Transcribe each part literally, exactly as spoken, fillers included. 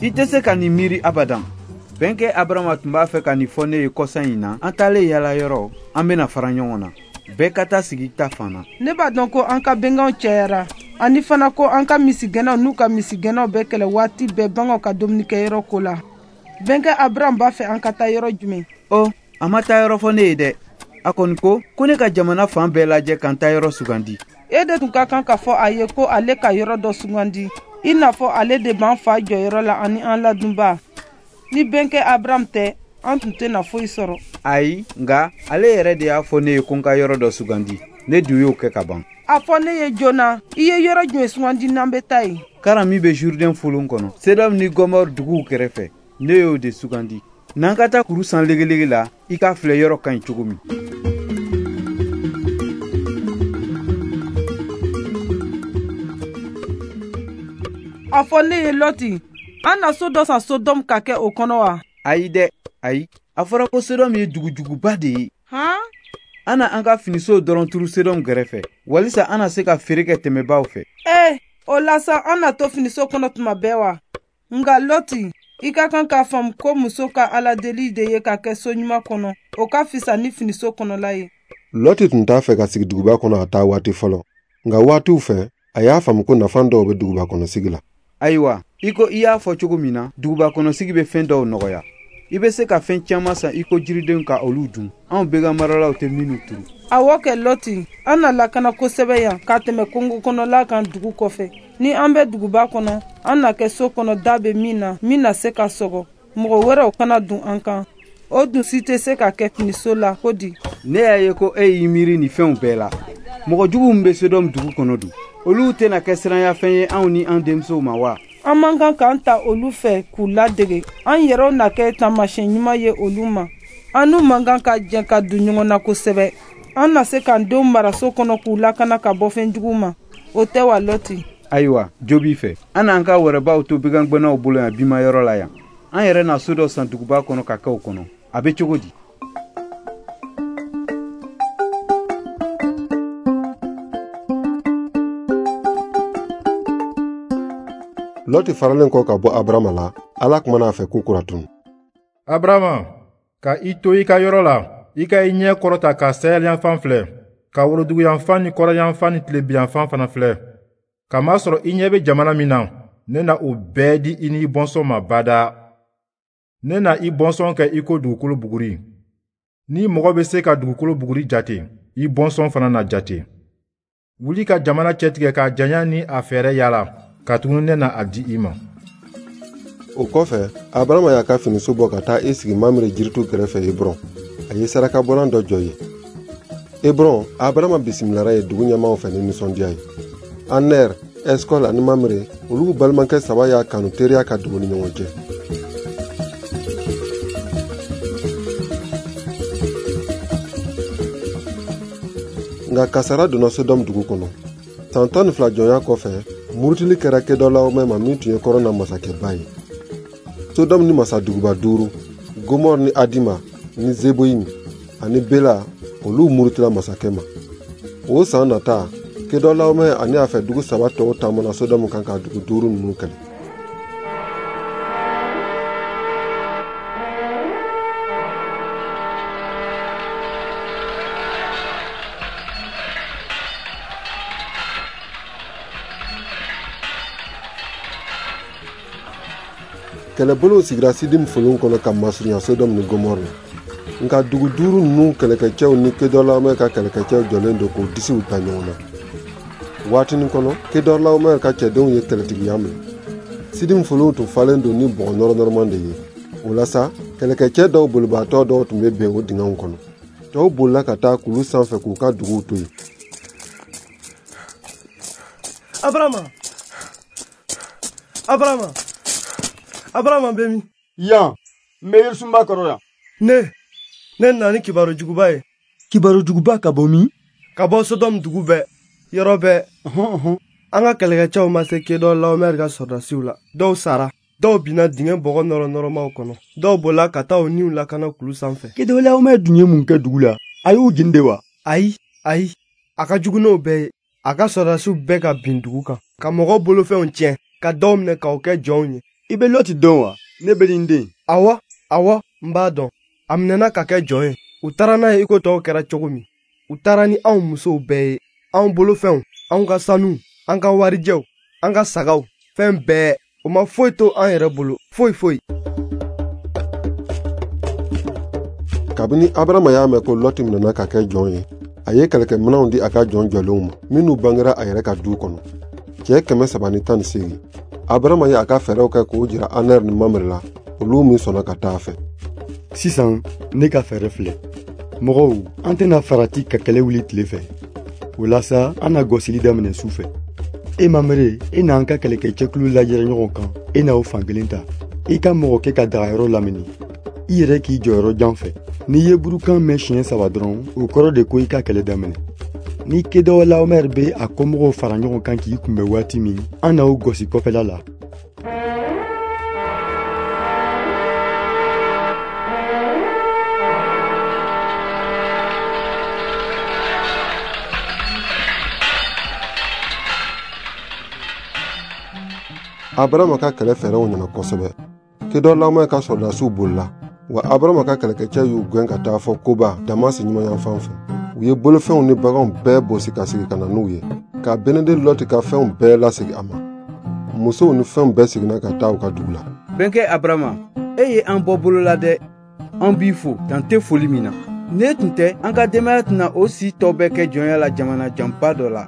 I tɛ se ka nin miiri abadan. Bɛnkɛ Abarama tun b'a fɛ ka nin fɔ ne ye kɔsa in na, an taalen yala yɔrɔ, an bɛna fara ɲɔgɔn na. Bɛɛ ka taa sigi ta fan na. Ne b'a dɔn ko an ka bɛnkanw cayara, ani fana ko an ka misigɛnnaw n'u ka misigɛnnaw bɛ kɛlɛ waati bɛɛ baganw ka dumunikɛyɔrɔ ko la. Bɛnkɛ Abraham b'a fɛ an ka taa yɔrɔ jumɛn? Ɔ, a ma taa yɔrɔ fɔ ne ye dɛ. A kɔni ko ko ne ka jamana fan bɛɛ lajɛ ka n ta yɔrɔ sugandi. E de tun ka kan k'a fɔ a ye ko ale ka yɔrɔ dɔ sugandi, i n'a fɔ ale de b'an fa jɔyɔrɔ la ani an ladunba. Ni bɛnkɛ Abraham tɛ, an tun tɛna foyi sɔrɔ. Ayi, nka ale yɛrɛ de y'a fɔ ne ye ko n ka yɔrɔ dɔ sugandi. Ne dun y'o kɛ ka ban. A fɔ ne ye joona, i ye yɔrɔ jumɛn sugandi n'an bɛ taa yen? Karan min bɛ Jourdain folon kɔnɔ, Sedɔm ni Gɔmɔr duguw kɛrɛfɛ, ne y'o de sugandi. N'an ka taa kuru san legelege la, i k'a filɛ yɔrɔ ka ɲi cogo min. A fɔ ne ye Lɔti, an na so dɔ san Sodɔm ka kɛ o kɔnɔ wa? Ayi dɛ, ayi. A fɔra ko Sodɔm ye dugujuguba de ye. Han? An na an ka finisow dɔrɔn turu Sodɔm gɛrɛfɛ, walisa an na se ka feere kɛ tɛmɛbaaw fɛ. Ee, o la sa an na to finiso kɔnɔ tuma bɛɛ wa? Nka Lɔti, i ka kan k'a faamu ko muso ka aladeli de ye ka kɛ so ɲuman kɔnɔ, o ka fisa ni finiso kɔnɔla ye. Lɔti tun t'a fɛ ka sigi duguba kɔnɔ a taa waati fɔlɔ, nka waatiw fɛ, a y'a faamu ko nafa dɔw bɛ duguba kɔnɔ sigi la. Ayiwa, i ko i y'a fɔ cogo min na, duguba kɔnɔ sigi bɛ fɛn dɔw nɔgɔya. I bɛ se ka fɛn caman san i ko jiridenw ka olu dun. Anw bɛgan maralaw tɛ minnu turu. Awɔ kɛ Lɔti, an na lakana kosɛbɛ yan ka tɛmɛ kungo kɔnɔla kan dugu kɔfɛ. Ni an bɛ duguba kɔnɔ, an na kɛ so kɔnɔ da bɛ min na, min na se ka sɔgɔ. Mɔgɔ wɛrɛw kana dun an kan. O dun si tɛ se ka kɛ finiso la ko di. Ne y'a ye ko e y'i miiri nin fɛnw bɛɛ la. Mɔgɔ jugu min bɛ Sodɔm dugu kɔnɔ dun, olu tɛna kɛ siranyafɛn ye anw ni an denmusow ma wa? An man kan k'an ta olu fɛ k'u ladege. An yɛrɛw na kɛ taamasiyɛn ɲuman ye olu ma. An n'u man kan ka jɛ ka don ɲɔgɔn na kosɛbɛ. An na se k'an denw mara so kɔnɔ k'u lakana ka bɔ fɛn jugu ma. O tɛ wa Lɔti? Ayiwa, jo b'i fɛ. An n'an ka wɛrɛbaw to bigangɛnnaw bolo yan bimayɔrɔ la yan. An yɛrɛ na so dɔ san duguba kɔnɔ ka kɛ o kɔnɔ. A bɛ cogo di? Lɔti faralen kɔ ka bɔ Abarama la, Ala kumana a fɛ ko kura tun. Abarama, ka i to i ka yɔrɔ la, i ka i ɲɛ kɔrɔta ka sahɛliyanfan filɛ, ka woroduguyanfan ni kɔrɔyanfan ni tilebiyanfan fana filɛ. Kamasɔrɔ i ɲɛ bɛ jamana min na, ne na o bɛɛ di i ni i bɔnsɔn ma badaa. Ne na i bɔnsɔn kɛ i ko dugukolo buguri. Ni mɔgɔ bɛ se ka dugukolo buguri jate, i bɔnsɔn fana na jate. Wuli ka jamana cɛtigɛ k'a janya ni a fɛɛrɛ yala, katuguni ne na a di i ma. O kɔfɛ, Abarama y'a ka finiso bɔ ka taa i sigi Mamre jiritu kɛrɛfɛ Hebron. A ye sarakabɔlan dɔ jɔ yen. Hebron, Abarama bisimilara ye dugu ɲɛmaaw fɛ ni nisɔndiya ye. Aner, Eskol ani Mamre, olu balimakɛ saba y'a kanu teriya ka don u ni ɲɔgɔn cɛ. Nka kasara donna Sodɔm dugu kɔnɔ. San tan ni fila jɔnya kɔfɛ, murutili kɛra Kedɔlaomɛ ma min tun ye kɔrɔn na masakɛba ye. Sodɔm ni masaduguba duuru, Gomɔr ni Adima ni Zeboyim ani Bela, olu murutila masakɛ ma. O san nata, Kedɔlaomɛ ani a fɛ dugu saba tɔw taamana Sodɔm kan ka dugu duuru ninnu kɛlɛ. Kɛlɛbolow sigira Sidim folon kɔnɔ ka masurunya Sodɔm ni Gomɔr la. Nka dugu duuru ninnu kɛlɛkɛcɛw ni Kedɔlaomɛ ka kɛlɛkɛcɛw jɔlen don k'u disiw da ɲɔgɔn na. Waatinin kɔnɔ, Kedɔlaomɛ ka cɛdenw ye kɛlɛtigiya minɛ. Sidim folon tun falen don ni bɔgɔ nɔrɔnɔrɔman de ye. O la sa, kɛlɛkɛcɛ dɔw bolibaatɔ dɔw tun bɛ bɛn o dingɛw kɔnɔ. Tɔw bolila ka taa kulu sanfɛ k'u ka duguw to yen. Abarama! Abarama! Abarama bɛ min? Yan, n bɛ yirisunba kɔrɔ yan. Ne, ne nana ni kibaru juguba ye. Kibaru juguba ka bɔ min? Ka bɔ Sodɔm dugu bɛɛ, yɔrɔ bɛɛ. Ɔhɔn ɔhɔn. An ka kɛlɛkɛcɛw ma se Kedɔlaomɛri ka sɔrɔdasiw la. Dɔw sara, Dɔw binna dingɛ bɔgɔ nɔrɔnɔrɔmaw kɔnɔ, dɔw bolila ka taa u niw lakana kulu sanfɛ. Kedɔlaomɛ dun ye mun kɛ dugu la? A y'u jeni de wa? Ayi, ayi, a ka jugu n'o bɛɛ ye. A ka sɔrɔdasiw bɛɛ ka bin dugu kan, ka mɔgɔw bolofɛnw tiɲɛ, ka dɔw minɛ k'aw kɛ jɔnw ye. I bɛ Lɔti dɔn wa? Ne bɛ nin den. Awɔ, awɔ, n b'a dɔn. A minɛna ka kɛ jɔn ye. U taara n'a ye i ko tɔw kɛra cogo min. U taara ni anw musow bɛɛ ye, anw bolofɛnw, anw ka sanu, an ka warijɛw, an ka sagaw, fɛn bɛɛ. O ma foyi to an yɛrɛ bolo, foyi foyi. Kabini Abarama y'a mɛn ko Lɔti minɛna ka kɛ jɔn ye, a ye kɛlɛkɛminɛnw di a ka jɔn jɔlenw ma, minnu bangera a yɛrɛ ka du kɔnɔ. Cɛ kɛmɛ saba ni tan ni seegin. Abarama ye a ka fɛɛrɛw kɛ k'o jira Anɛri ni Mamre la, olu min sɔnna ka taa a fɛ. Sisan, ne ka fɛɛrɛ filɛ. Mɔgɔw, an tɛna farati ka kɛlɛ wuli tile fɛ. O la sa, an na gosili daminɛ su fɛ. E Mamre, e n'an ka kɛlɛkɛcɛkulu lajɛra ɲɔgɔn kan, e n'aw fan kelen ta. I ka mɔgɔ kɛ ka dagayɔrɔ lamini. I yɛrɛ k'i jɔyɔrɔ jan fɛ. N'i ye burukan mɛn siɲɛ saba dɔrɔn, o kɔrɔ de ko i ka kɛlɛ daminɛ. Ni Kedɔlaomɛr bɛ a kɔmɔgɔw fara ɲɔgɔn kan k'i kunbɛn waati min, an n'aw gosi kɔfɛla la. Abarama ka kɛlɛ fɛɛrɛw nana kosɛbɛ. Kedɔlaomɛ ka sɔrɔdasiw bolila, wa Abarama ka kɛlɛkɛcɛ y'u gɛn ka taa fɔ Koba Damasi ɲumanyanfan fɛ. U ye bolofɛnw ni baganw bɛɛ bosi ka segin ka na n'u ye, ka Beneden Lɔti ka fɛnw bɛɛ lasegin a ma. Musow ni fɛnw bɛɛ seginna ka taa u ka dugu la. Bɛnkɛ Abarama, e ye an bɔ bolo la dɛ. An b'i fo, dan tɛ foli min na. Ne tun tɛ, an ka denbaya tɛna o si tɔ bɛɛ kɛ jɔnya la jamana janba dɔ la.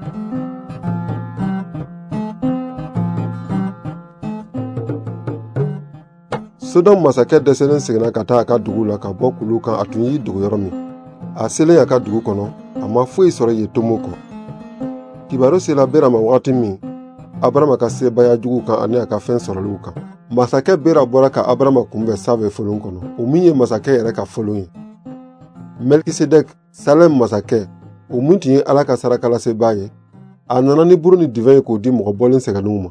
Sodɔm masakɛ dɛsɛlen seginna ka taa a ka dugu la ka bɔ kulu kan a tun y'i dogo yɔrɔ min. A selen a ka dugu kɔnɔ, a ma foyi sɔrɔ yen tomo kɔ. Kibaru sera Bera ma wagati min, Abarama ka sebaaya juguw kan ani a ka fɛn sɔrɔliw kan. Masakɛ Bera bɔra ka Abarama kunbɛn Save folon kɔnɔ, o min ye masakɛ yɛrɛ ka folon ye. Melkisedɛk, Salɛm masakɛ, o min tun ye Ala ka sarakalasebaa ye, a nana ni buru ni divɛn ye k'o di mɔgɔ bɔlen sɛgɛnnenw ma.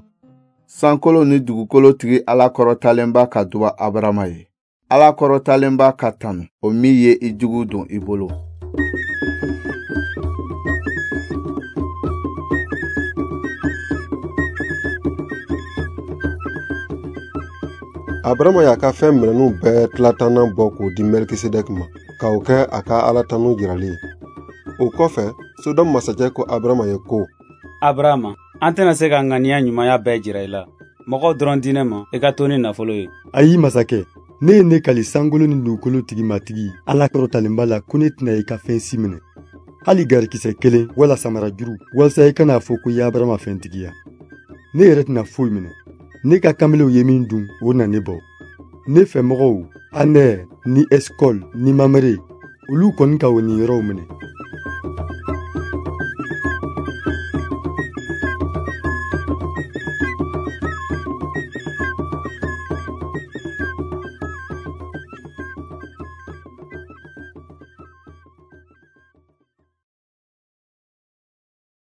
Sankolo ni dugukolo tigi Ala kɔrɔtalenba ka duba Abarama ye. Ala kɔrɔtalenba ka tanu, o min ye i jugu don i bolo. Abarama y'a ka fɛn minɛnw bɛɛ tilatannan bɔ k'o di Melkisedɛk ma, k'o kɛ a ka Ala tanu jirali ye. O kɔfɛ, Sodɔm masakɛ ko Abarama ye ko: Abarama, an tɛna se ka ŋaniya ɲumanya bɛɛ jira i la. Mɔgɔw dɔrɔn di ne ma, i ka to ni nafolo ye. Ayi masakɛ, ne ye ne kali sankolo ni dugukolo tigi matigi Ala kɔrɔtalenba la ko ne tɛna i ka fɛn si minɛ. Hali garikisɛ kelen wala samarajuru, walasa i kana fɔ ko i ye Abarama fɛntigiya. Ne yɛrɛ tɛna foyi minɛ. Ne ka kamelenw ye min dun, o na ne bɔ. Ne fɛmɔgɔw, Anɛr ni Eskɔl ni Mamre, olu kɔni ka o niyɔrɔw minɛ.